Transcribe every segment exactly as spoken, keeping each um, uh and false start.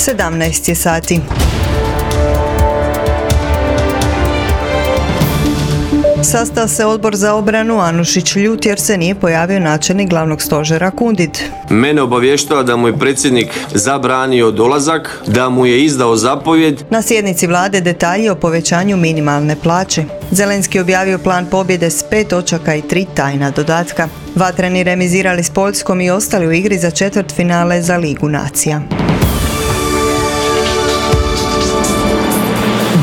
sedamnaest je sati. Sastao se Odbor za obranu, Anušić ljut jer se nije pojavio načelnik glavnog stožera Kundid. Mene obavještava da mu je predsjednik zabranio dolazak, da mu je izdao zapovjed. Na sjednici vlade detalji o povećanju minimalne plaće. Zelenski objavio plan pobjede s pet točaka i tri tajna dodatka. Vatreni remizirali s Poljskom i ostali u igri za četvrtfinale za Ligu nacija.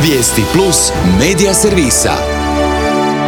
Vijesti plus medija servisa.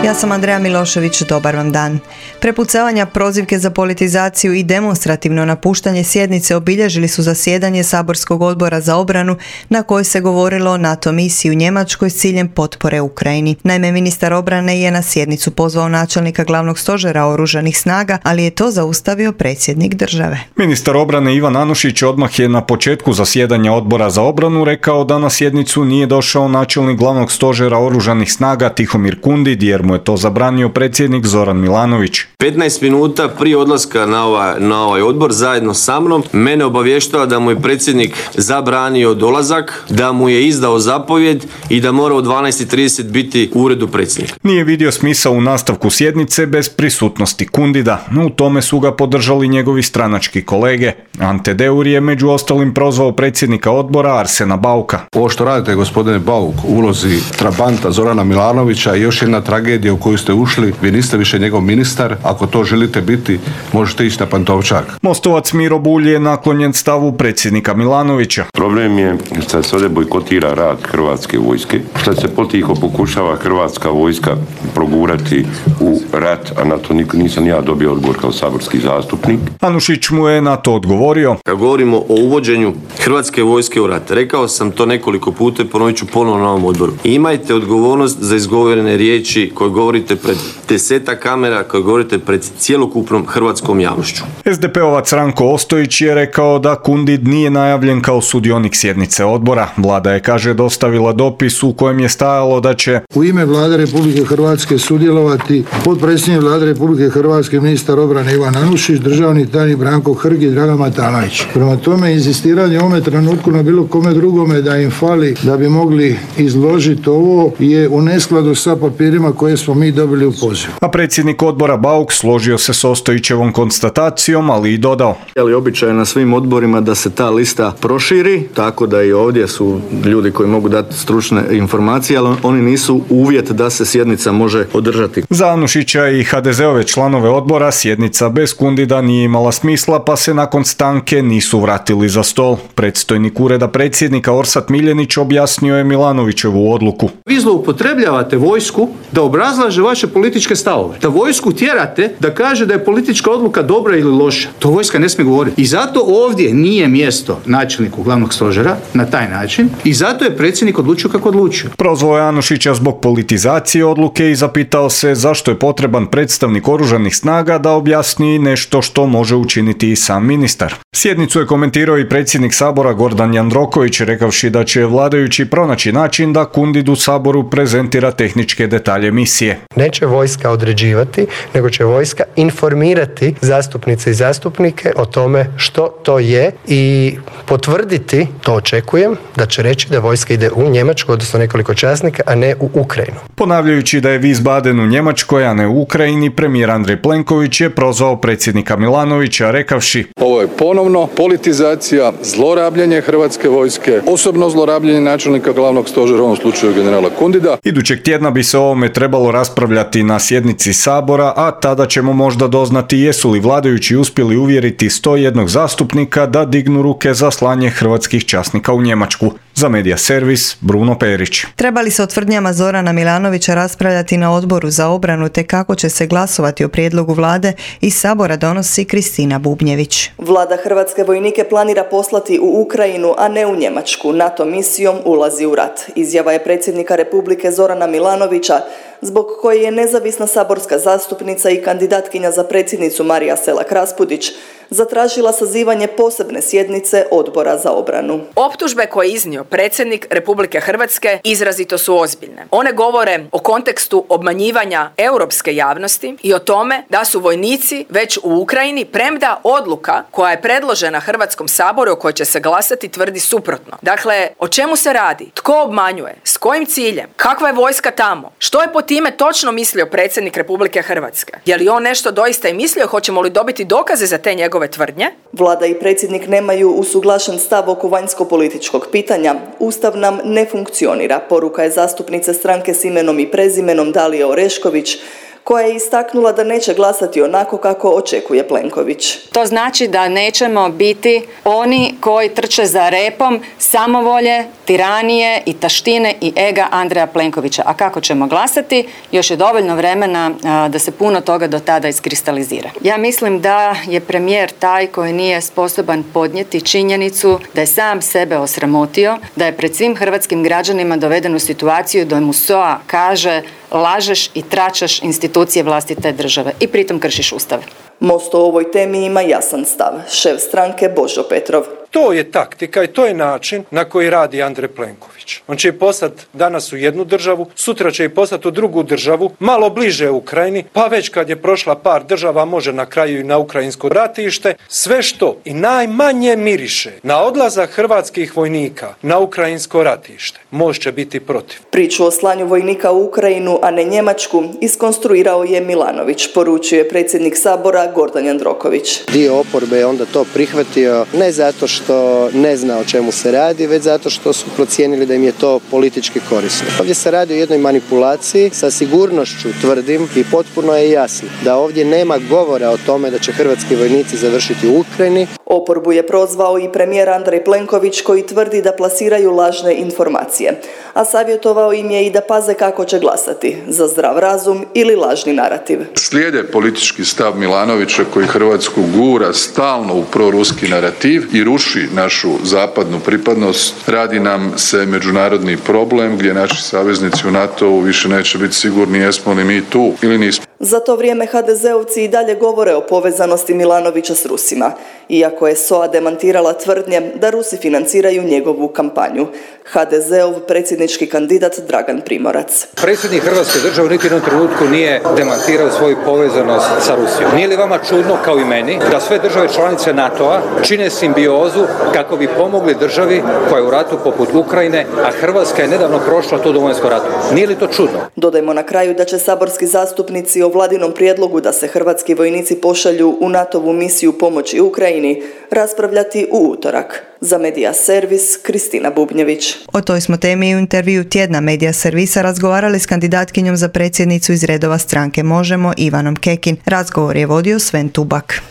Ja sam Andreja Milošević, dobar vam dan. Prepucavanja, prozivke za politizaciju i demonstrativno napuštanje sjednice obilježili su zasjedanje Saborskog odbora za obranu na kojoj se govorilo o NATO misiji u Njemačkoj s ciljem potpore Ukrajini. Naime, ministar obrane je na sjednicu pozvao načelnika glavnog stožera oružanih snaga, ali je to zaustavio predsjednik države. Ministar obrane Ivan Anušić odmah je na početku zasjedanja odbora za obranu rekao da na sjednicu nije došao načelnik glavnog stožera oružanih snaga Tihomir Kundid jer mu je to zabranio predsjednik Zoran Milanović. petnaest minuta prije odlaska na ovaj, na ovaj odbor zajedno sa mnom mene obavještava da mu je predsjednik zabranio dolazak, da mu je izdao zapovjed i da mora u dvanaest i trideset biti u uredu predsjednika. Nije vidio smisao u nastavku sjednice bez prisutnosti Kundida, no u tome su ga podržali njegovi stranački kolege. Ante Deur je među ostalim prozvao predsjednika odbora Arsena Bauka. Ovo što radite, gospodine Bauk, u ulozi trabanta Zorana Milanovića je još jedna tragedija u koju ste ušli. Vi niste više njegov ministar. Ako to želite biti, možete ići na Pantovčak. Mostovac Miro Bulj je naklonjen stavu predsjednika Milanovića. Problem je što se ovdje bojkotira rad Hrvatske vojske, što se potiho pokušava Hrvatska vojska progurati u rat, a na to nisam ja dobio odgovor kao saborski zastupnik. Anušić mu je na to odgovorio. Kad govorimo o uvođenju Hrvatske vojske u rat, rekao sam to nekoliko puta i ponovit ću ponovno na ovom odboru. Imajte odgovornost za izgovorene riječi koje govorite pred desetak kamera, koje govorite pred cjelokupnom hrvatskom javnošću. es de pe-ovac Ranko Ostojić je rekao da Kundid nije najavljen kao sudionik sjednice odbora. Vlada je, kaže, dostavila dopis u kojem je stajalo da će u ime Vlade Republike Hrvatske sudjelovati potpredsjednik Vlade Republike Hrvatske, ministar obrane Ivan Anušić, državni tajnik Branko Hrg i Dragan Matanović. Prema tome, inzistiranje u ovome trenutku na bilo kome drugome da im fali da bi mogli izložiti ovo je u neskladu sa papirima koje smo mi dobili u pozivu. A predsjednik odbora Bauk složio se s Ostojićevom konstatacijom, ali i dodao. Ali običaj na svim odborima da se ta lista proširi, tako da i ovdje su ljudi koji mogu dati stručne informacije, ali oni nisu uvjet da se sjednica može održati. Za Anušića i ha de ze-ove članove odbora sjednica bez Kundida nije imala smisla, pa se nakon stanke nisu vratili za stol. Predstojnik ureda predsjednika Orsat Miljenić objasnio je Milanovićevu odluku. Vi zloupotrebljavate vojsku da obrazlaže vaše političke stavove. Da vojsku tjerate da kaže da je politička odluka dobra ili loša. To vojska ne smije govoriti. I zato ovdje nije mjesto načelniku glavnog stožera na taj način i zato je predsjednik odlučio kako odlučio. Prozvao je Anušića zbog politizacije odluke i zapitao se zašto je potreban predstavnik oružanih snaga da objasni nešto što može učiniti i sam ministar. Sjednicu je komentirao i predsjednik Sabora Gordan Jandroković, rekavši da će vladajući pronaći način da Kundid u Saboru prezentira tehničke detalje misije. Neće vojska određivati, nego će vojska informirati zastupnice i zastupnike o tome što to je i potvrditi, to očekujem, da će reći da vojska ide u Njemačku, odnosno nekoliko časnika, a ne u Ukrajinu. Ponavljajući da je Wiesbaden u Njemačkoj, a ne u Ukrajini, premijer Andrej Plenković je prozvao predsjednika Milanovića, rekavši: ovo je ponovno politizacija, zlorabljenje Hrvatske vojske, osobno zlorabljenje načelnika glavnog stožera, u ovom slučaju generala Kundida. Idućeg tjedna bi se o ovome trebalo raspravljati na sjednici Sabora, a tada ćemo možda doznati jesu li vladajući uspjeli uvjeriti sto jedan zastupnika da dignu ruke za slanje hrvatskih časnika u Njemačku. Za Medija servis, Bruno Perić. Treba li se o tvrdnjama Zorana Milanovića raspravljati na odboru za obranu te kako će se glasovati o prijedlogu vlade, iz Sabora donosi Kristina Bubnjević. Vlada hrvatske vojnike planira poslati u Ukrajinu, a ne u Njemačku. NATO misijom ulazi u rat. Izjava je predsjednika Republike Zorana Milanovića, zbog koje je nezavisna saborska zastupnica i kandidatkinja za predsjednicu Marija Selak Raspudić zatražila sazivanje posebne sjednice Odbora za obranu. Optužbe koje je iznio predsjednik Republike Hrvatske izrazito su ozbiljne. One govore o kontekstu obmanjivanja europske javnosti i o tome da su vojnici već u Ukrajini, premda odluka koja je predložena Hrvatskom saboru o kojoj će se glasati tvrdi suprotno. Dakle, o čemu se radi? Tko obmanjuje? S kojim ciljem? Kakva je vojska tamo? Što je po time točno mislio predsjednik Republike Hrvatske? Je li on nešto doista i mislio? Hoćemo li dobiti dokaze za te njegove tvrdnje? Vlada i predsjednik nemaju usuglašen stav oko vanjsko-političkog pitanja. Ustav nam ne funkcionira, poruka je zastupnice stranke s imenom i prezimenom Dalije Orešković, koja je istaknula da neće glasati onako kako očekuje Plenković. To znači da nećemo biti oni koji trče za repom samovolje, tiranije i taštine i ega Andreja Plenkovića. A kako ćemo glasati? Još je dovoljno vremena a, da se puno toga do tada iskristalizira. Ja mislim da je premijer taj koji nije sposoban podnijeti činjenicu da je sam sebe osramotio, da je pred svim hrvatskim građanima doveden u situaciju da mu S O A kaže lažeš i tračaš institucije vlastite države i pritom kršiš Ustav. Most o ovoj temi ima jasan stav. Šef stranke Božo Petrov. To je taktika i to je način na koji radi Andrej Plenković. On će poslati danas u jednu državu, sutra će i poslati u drugu državu, malo bliže Ukrajini, pa već kad je prošla par država može na kraju i na ukrajinsko ratište. Sve što i najmanje miriše na odlazak hrvatskih vojnika na ukrajinsko ratište, Most će biti protiv. Priču o slanju vojnika u Ukrajinu, a ne Njemačku, iskonstruirao je Milanović, poručuje predsjednik Sabora Gordan Jandroković. Dio oporbe je onda to prihvatio ne zato što ne zna o čemu se radi, već zato što su procijenili da im je to politički korisno. Ovdje se radi o jednoj manipulaciji, sa sigurnošću tvrdim i potpuno je jasno da ovdje nema govora o tome da će hrvatski vojnici završiti u Ukrajini. Oporbu je prozvao i premijer Andrej Plenković koji tvrdi da plasiraju lažne informacije, a savjetovao im je i da paze kako će glasati, za zdrav razum ili lažni narativ. Slijede politički stav Milanovića koji Hrvatsku gura stalno u proruski narativ i ruši našu zapadnu pripadnost. Radi nam se međunarodni problem gdje naši saveznici u NATO-u više neće biti sigurni jesmo li mi tu ili nismo. Za to vrijeme ha de zeovci i dalje govore o povezanosti Milanovića s Rusima, iako je S O A demantirala tvrdnje da Rusi financiraju njegovu kampanju. ha de zeov predsjednički kandidat Dragan Primorac. Predsjednik Hrvatske države niti u jednom trenutku nije demantirao svoju povezanost sa Rusijom. Nije li vama čudno, kao i meni, da sve države članice NATO-a čine simbiozu kako bi pomogli državi koja je u ratu poput Ukrajine, a Hrvatska je nedavno prošla to Domovinskom ratu? Nije li to čudno? Dodajmo na kraju da će saborski zastupnici o vladinom prijedlogu da se hrvatski vojnici pošalju u NATO-vu misiju pomoći Ukrajini raspravljati u utorak. Za Medija Servis, Kristina Bubnjević. O toj smo temi u intervju tjedna Medija Servisa razgovarali s kandidatkinjom za predsjednicu iz redova stranke Možemo, Ivanom Kekin. Razgovor je vodio Sven Tubak.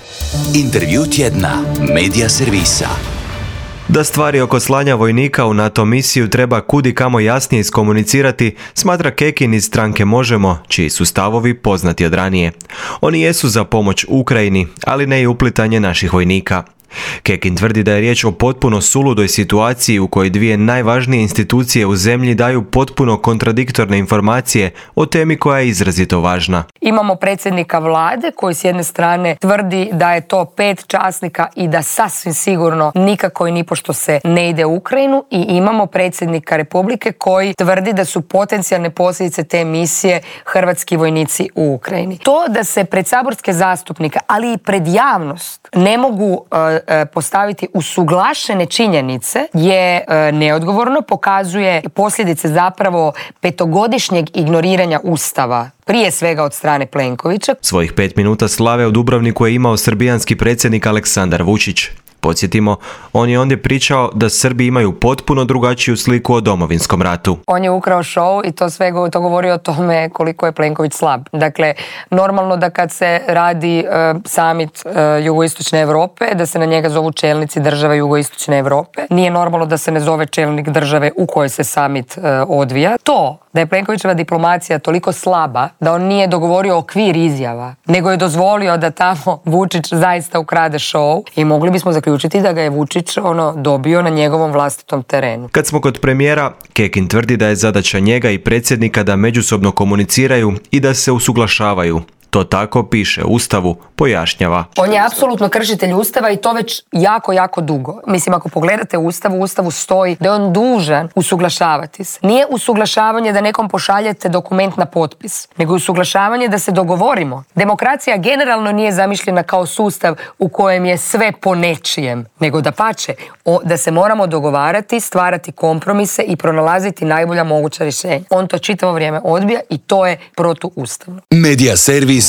Intervju tjedna Medija Servisa. Da stvari oko slanja vojnika u NATO misiju treba kudi kamo jasnije iskomunicirati, smatra Kekin iz stranke Možemo, čiji su stavovi poznati od ranije. Oni jesu za pomoć Ukrajini, ali ne i uplitanje naših vojnika. Kekin tvrdi da je riječ o potpuno suludoj situaciji u kojoj dvije najvažnije institucije u zemlji daju potpuno kontradiktorne informacije o temi koja je izrazito važna. Imamo predsjednika vlade koji s jedne strane tvrdi da je to pet časnika i da sasvim sigurno nikako i nipošto se ne ide u Ukrajinu, i imamo predsjednika Republike koji tvrdi da su potencijalne posljedice te misije hrvatski vojnici u Ukrajini. To da se pred saborske zastupnike, ali i pred javnost ne mogu uh, postaviti usuglašene činjenice je neodgovorno, pokazuje posljedice zapravo petogodišnjeg ignoriranja Ustava, prije svega od strane Plenkovića. Svojih pet minuta slave u Dubrovniku je imao srbijanski predsjednik Aleksandar Vučić. Podsjetimo, on je ondje pričao da Srbi imaju potpuno drugačiju sliku o Domovinskom ratu. On je ukrao show i to sve to govori o tome koliko je Plenković slab. Dakle, normalno da kad se radi uh, summit uh, jugoistočne Europe, da se na njega zovu čelnici države jugoistočne Europe. Nije normalno da se ne zove čelnik države u kojoj se summit uh, odvija. To da je Plenkovićeva diplomacija toliko slaba da on nije dogovorio okvir izjava, nego je dozvolio da tamo Vučić zaista ukrade show, i mogli bismo zaključiti da ga je Vučić ono dobio na njegovom vlastitom terenu. Kad smo kod premijera, Kekin tvrdi da je zadaća njega i predsjednika da međusobno komuniciraju i da se usuglašavaju. To tako piše u Ustavu, pojašnjava. On je apsolutno kršitelj Ustava i to već jako, jako dugo. Mislim, ako pogledate Ustav, u Ustavu stoji da je on dužan usuglašavati se. Nije usuglašavanje da nekom pošaljete dokument na potpis, nego usuglašavanje da se dogovorimo. Demokracija generalno nije zamišljena kao sustav u kojem je sve po nečijem, nego da pače, da se moramo dogovarati, stvarati kompromise i pronalaziti najbolja moguća rješenja. On to čitavo vrijeme odbija i to je protuustavno. Media servis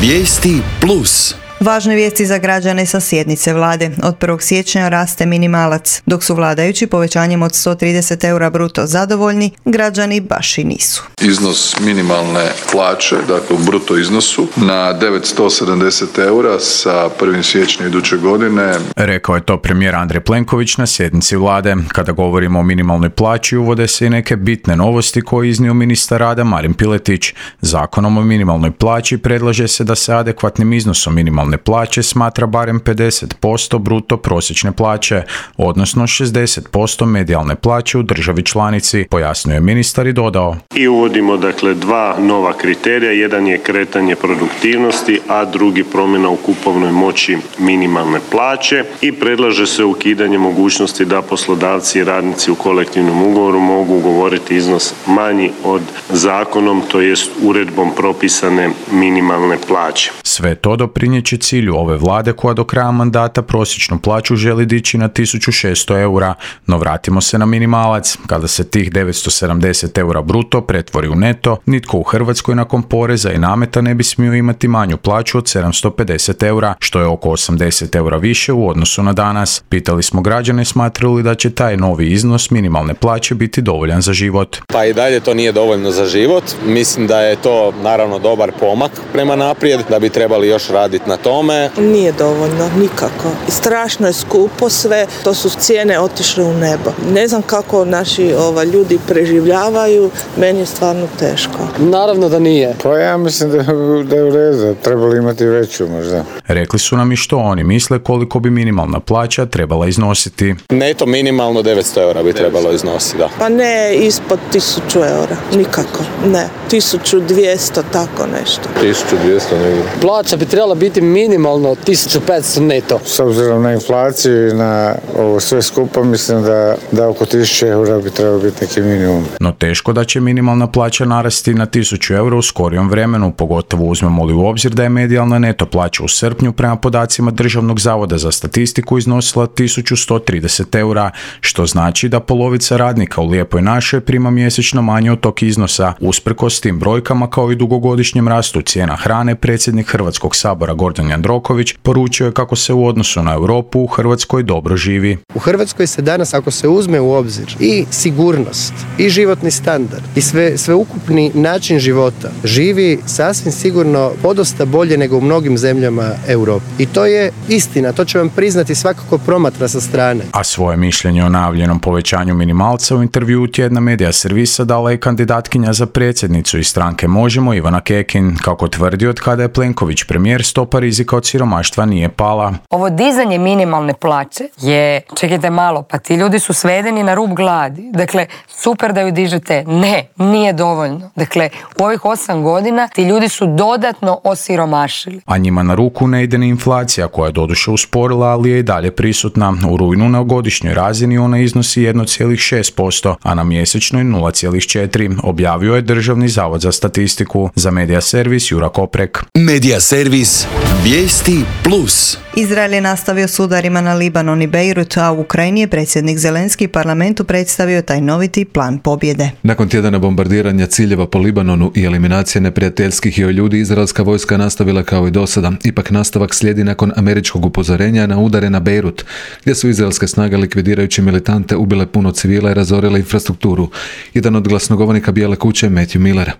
Vijesti plus. Važne vijesti za građane sa sjednice vlade. Od prvog siječnja raste minimalac. Dok su vladajući povećanjem od sto trideset eura bruto zadovoljni, građani baš i nisu. Iznos minimalne plaće, dakle u bruto iznosu, na devetsto sedamdeset eura sa prvog siječnja iduće godine. Rekao je to premijer Andrej Plenković na sjednici vlade. Kada govorimo o minimalnoj plaći, uvode se i neke bitne novosti koje je iznio ministar rada Marin Piletić. Zakonom o minimalnoj plaći predlaže se da se adekvatnim iznosom minimalne plaće smatra barem pedeset posto bruto prosječne plaće, odnosno šezdeset posto medijalne plaće u državi članici, pojasnio je ministar i dodao. I uvodimo dakle dva nova kriterija, jedan je kretanje produktivnosti, a drugi promjena u kupovnoj moći minimalne plaće i predlaže se ukidanje mogućnosti da poslodavci i radnici u kolektivnom ugovoru mogu ugovoriti iznos manji od zakonom, to jest uredbom propisane minimalne plaće. Sve to doprinjeće cilju ove vlade koja do kraja mandata prosječnu plaću želi dići na tisuću šesto eura, no vratimo se na minimalac. Kada se tih devetsto sedamdeset eura bruto pretvori u neto, nitko u Hrvatskoj nakon poreza i nameta ne bi smio imati manju plaću od sedamsto pedeset eura, što je oko osamdeset eura više u odnosu na danas. Pitali smo građane smatraju li da će taj novi iznos minimalne plaće biti dovoljan za život. Pa i dalje to nije dovoljno za život. Mislim da je to naravno dobar pomak prema naprijed, da bi trebali još raditi na tome. Nije dovoljno, nikako. Strašno je skupo sve, to su cijene otišle u nebo. Ne znam kako naši ova, ljudi preživljavaju, meni je stvarno teško. Naravno da nije. Pa ja mislim da, da je u redu, trebali imati veću možda. Rekli su nam i što oni misle koliko bi minimalna plaća trebala iznositi. Neto minimalno devetsto eura bi trebalo iznositi, da. Pa ne ispod tisuću eura, nikako, ne. tisuću dvjesto, tako nešto. tisuću dvjesto negdje. Plaća bi trebala biti minimalno tisuću petsto neto. S obzirom na inflaciju i na ovo sve skupa, mislim da, da oko tisuću eura bi trebalo biti neki minimum. No teško da će minimalna plaća narasti na tisuću eura u skorijom vremenu, pogotovo uzmemo li u obzir da je medijalna neto plaća u srpnju prema podacima Državnog zavoda za statistiku iznosila tisuću sto trideset eura, što znači da polovica radnika u Lijepoj našoj prima mjesečno manje od tog iznosa. Usprkos tim brojkama kao i dugogodišnjem rastu cijena hrane, predsjednik Hrvatskog sabora Gordan Jandroković poručio je kako se u odnosu na Europu u Hrvatskoj dobro živi. U Hrvatskoj se danas, ako se uzme u obzir i sigurnost, i životni standard, i sve, sveukupni način života, živi sasvim sigurno podosta bolje nego u mnogim zemljama Europe. I to je istina, to će vam priznati svakako promatra sa strane. A svoje mišljenje o najavljenom povećanju minimalca u intervjuu tjedna Media servisa dala je kandidatkinja za predsjednicu iz stranke Možemo Ivana Kekin. Kako tvrdi, od kada je Plenković premijer, stopa rizika od siromaštva nije pala. Ovo dizanje minimalne plaće je, čekajte malo, pa ti ljudi su svedeni na rub gladi. Dakle, super da ju dižete. Ne, nije dovoljno. Dakle, u ovih osam godina ti ljudi su dodatno osiromašili. A njima na ruku ne ide ni inflacija koja je doduše usporila, ali je i dalje prisutna. U rujnu na godišnjoj razini ona iznosi jedan zarez šest posto, a na mjesečnoj nula zarez četiri, objavio je Državni zavod za statistiku. Za Media servis Jura Koprek. Media servis Vijesti plus. Izrael je nastavio s udarima na Libanon i Bejrut, a u Ukrajini je predsjednik Zelenski parlamentu predstavio tajnoviti plan pobjede. Nakon tjedana bombardiranja ciljeva po Libanonu i eliminacije neprijateljskih joj ljudi, izraelska vojska nastavila kao i dosada. Ipak nastavak slijedi nakon američkog upozorenja na udare na Bejrut, gdje su izraelske snage likvidirajući militante ubile puno civila i razorile infrastrukturu. Jedan od glasnogovornika Bijele kuće, Matthew Miller.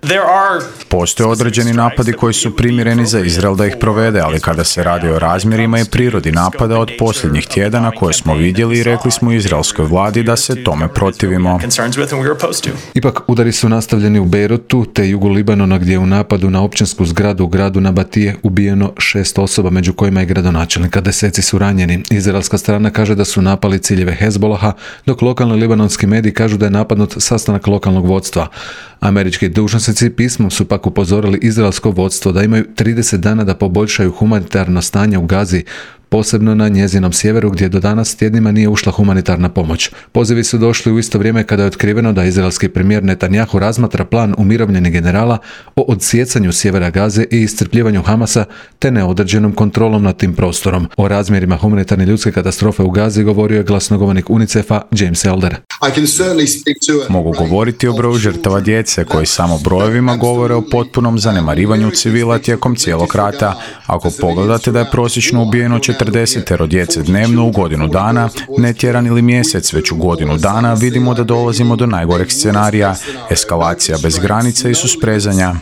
Postoje određeni napadi koji su primjereni za Izrael da ih provede, ali kada se radi o razmjerima i je prirodi napada od posljednjih tjedana koje smo vidjeli i rekli smo izraelskoj vladi da se tome protivimo. Ipak udari su nastavljeni u Beirutu te jugu Libanona gdje je u napadu na općinsku zgradu u gradu Nabatije ubijeno šest osoba, među kojima je gradonačelnika. Deseci su ranjeni. Izraelska strana kaže da su napali ciljeve Hezbolaha, dok lokalni libanonski mediji kažu da je napadnut sastanak lokalnog vodstva. Američki dužnosnici pismom su pak upozorili izraelsko vodstvo da imaju trideset dana da poboljšaju humanitarno stanje u Gazi, posebno na njezinom sjeveru gdje do danas tjednima nije ušla humanitarna pomoć. Pozivi su došli u isto vrijeme kada je otkriveno da izraelski premijer Netanjahu razmatra plan umirovljenih generala o odsjecanju sjevera Gaze i iscrpljivanju Hamasa te neodređenom kontrolom nad tim prostorom. O razmjerima humanitarne ljudske katastrofe u Gazi govorio je glasnogovornik UNICEF-a James Elder. Mogu govoriti o broju žrtava djece koji samo brojevima govore o potpunom zanemarivanju civila tijekom cijelog rata. Ako pogledate da je prosječno ubijeno četrdesetero djece dnevno u godinu dana, ne tjedan ili mjesec, već u godinu dana, vidimo da dolazimo do najgoreg scenarija, eskalacija bez granica i susprezanja.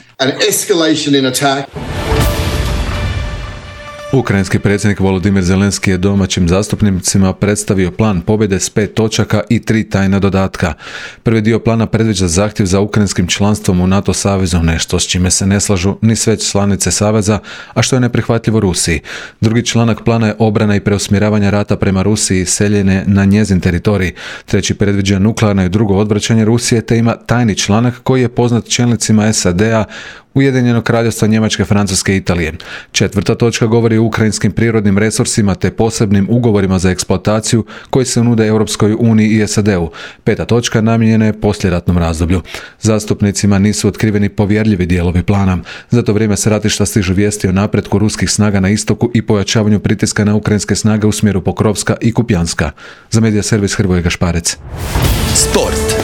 Ukrajinski predsjednik Volodimir Zelenski je domaćim zastupnicima predstavio plan pobjede s pet točaka i tri tajna dodatka. Prvi dio plana predviđa zahtjev za ukrajinskim članstvom u NATO savezu, nešto s čime se ne slažu ni sve članice saveza, a što je neprihvatljivo Rusiji. Drugi članak plana je obrana i preusmjeravanje rata prema Rusiji i seljenje na njezin teritorij. Treći predviđa nuklearno i drugo odvraćanje Rusije, te ima tajni članak koji je poznat čelnicima S A D-a, Ujedinjenog kraljevstva Njemačke, Francuske i Italije. Četvrta točka govori o ukrajinskim prirodnim resursima te posebnim ugovorima za eksploataciju koji se nude Europskoj uniji i S A D-u. Peta točka namijenjena je poslijeratnom razdoblju. Zastupnicima nisu otkriveni povjerljivi dijelovi plana. Za to vrijeme s ratišta stižu vijesti o napretku ruskih snaga na istoku i pojačavanju pritiska na ukrajinske snage u smjeru Pokrovska i Kupjanska. Za medija servis Hrvoje Gašparec. Sport.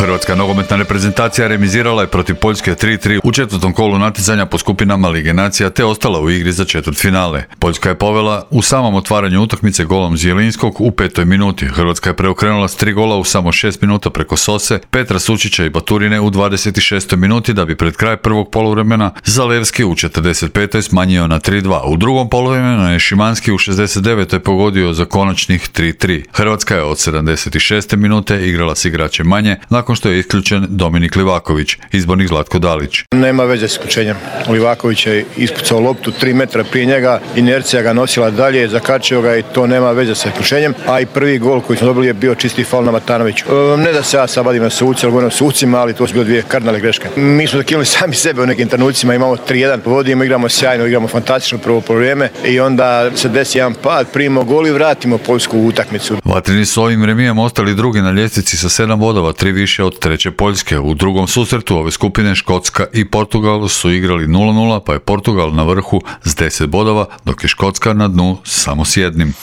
Hrvatska nogometna reprezentacija remizirala je protiv Poljske tri tri u četvrtom kolu natjecanja po skupinama Lige nacija te ostala u igri za četvrtfinale. Poljska je povela u samom otvaranju utakmice golom Zielinskog u petoj minuti. Hrvatska je preokrenula s tri gola u samo šest minuta preko Sose, Petra Sučića i Baturine u dvadeset šestoj minuti da bi pred kraj prvog poluvremena Zalevski u četrdeset petoj smanjio na tri dva. U drugom poluvremenu je Šimanski u šezdeset devetoj pogodio za konačnih tri tri. Hrvatska je od sedamdeset šeste minute igrala s igračem manje, nakon što je isključen Dominik Livaković, izbornik Zlatko Dalić. Nema veze s isključenjem. Livaković je ispucao loptu tri metra prije njega, inercija ga nosila dalje, zakačio ga i to nema veze sa isključenjem, a i prvi gol koji smo dobili je bio čisti faul na Matanoviću. Ne da se ja sad vadim na suce, ali govorim o sucima, ali to su bile dvije kardinalne greške. Mi smo zakinuli sami sebe u nekim trenucima, imamo tri jedan, vodimo, igramo sjajno, igramo fantastično prvo poluvreme i onda se desi jedan pad, primimo gol i vratimo Poljsku u utakmicu. Vatreni su ovim remijem ostali drugi na ljestvici sa sedam bodova, tri više od treće Poljske. U drugom susretu ove skupine Škotska i Portugal su igrali nula nula, pa je Portugal na vrhu s deset bodova, dok je Škotska na dnu samo s jednim.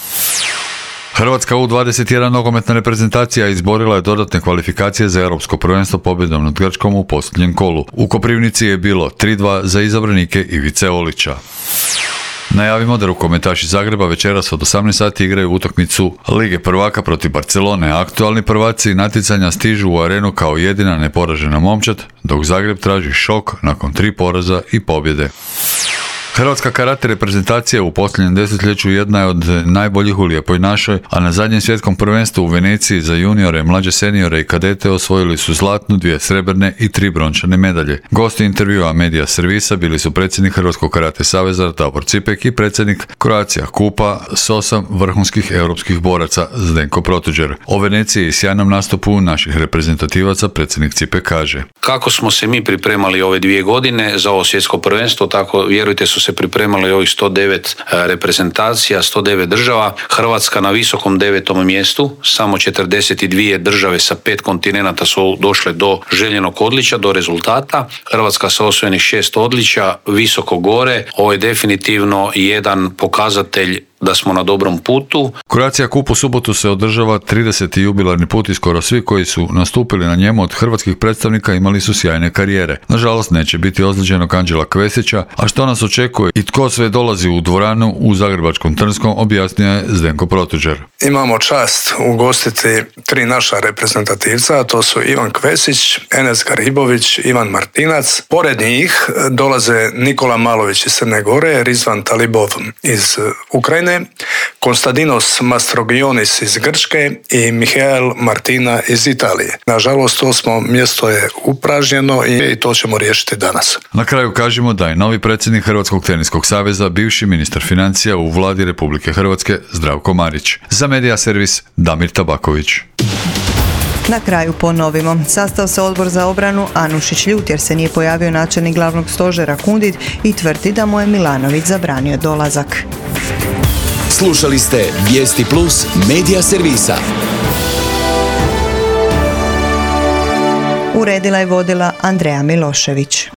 Hrvatska U dvadeset jedan nogometna reprezentacija izborila je dodatne kvalifikacije za europsko prvenstvo pobjedom nad Grčkom u posljednjem kolu. U Koprivnici je bilo tri dva za izabranike Ivice Olića. Najavimo da rukometaši Zagreba večeras od osamnaest sati igraju utakmicu Lige prvaka protiv Barcelone. Aktualni prvaci natjecanja stižu u arenu kao jedina neporažena momčad, dok Zagreb traži šok nakon tri poraza i pobjede. Hrvatska karate reprezentacija u posljednjem desetljeću jedna je od najboljih u Lijepoj našoj, a na zadnjem svjetskom prvenstvu u Veneciji za juniore, mlađe seniore i kadete osvojili su zlatnu, dvije srebrne i tri brončane medalje. Gosti intervjua Medija servisa bili su predsjednik Hrvatskog karate saveza Davor Cipek i predsjednik Croatia Kupa s osam vrhunskih europskih boraca Zdenko Protuđer. O Veneciji i sjajnom nastupu naših reprezentativaca predsjednik Cipek kaže: Kako smo se mi pripremali ove dvije godine za ovo svjetsko prvenstvo, tako vjerujte su se pripremali ovih sto devet reprezentacija, sto devet država. Hrvatska na visokom devetom mjestu, samo četrdeset dvije države sa pet kontinenata su došle do željenog odličja, do rezultata. Hrvatska sa osvojenih šest odličja, visoko gore. Ovo je definitivno jedan pokazatelj da smo na dobrom putu. Croatia Cup u subotu se održava trideseti jubilarni put i skoro svi koji su nastupili na njemu od hrvatskih predstavnika imali su sjajne karijere. Nažalost, neće biti ozlijeđenog Anđela Kvesića, a što nas očekuje i tko sve dolazi u dvoranu u zagrebačkom Trnskom, objasnio je Zdenko Protuđer. Imamo čast ugostiti tri naša reprezentativca, a to su Ivan Kvesić, Enes Garibović, Ivan Martinac. Pored njih dolaze Nikola Malović iz Crne Gore, Rizvan Talibov iz Ukrajine, Konstantinos Mastrogionis iz Grčke i Mihael Martina iz Italije. Nažalost, osmo mjesto je upražnjeno i to ćemo riješiti danas. Na kraju kažemo da je novi predsjednik Hrvatskog teniskog saveza bivši ministar financija u vladi Republike Hrvatske Zdravko Marić. Za Medija servis Damir Tabaković. Na kraju ponovimo. Sastao se odbor za obranu, Anušić ljut jer se nije pojavio načelnik glavnog stožera Kundit i tvrdi da mu je Milanović zabranio dolazak. Slušali ste Vijesti Plus Medija servisa. Uredila i vodila Andreja Milošević.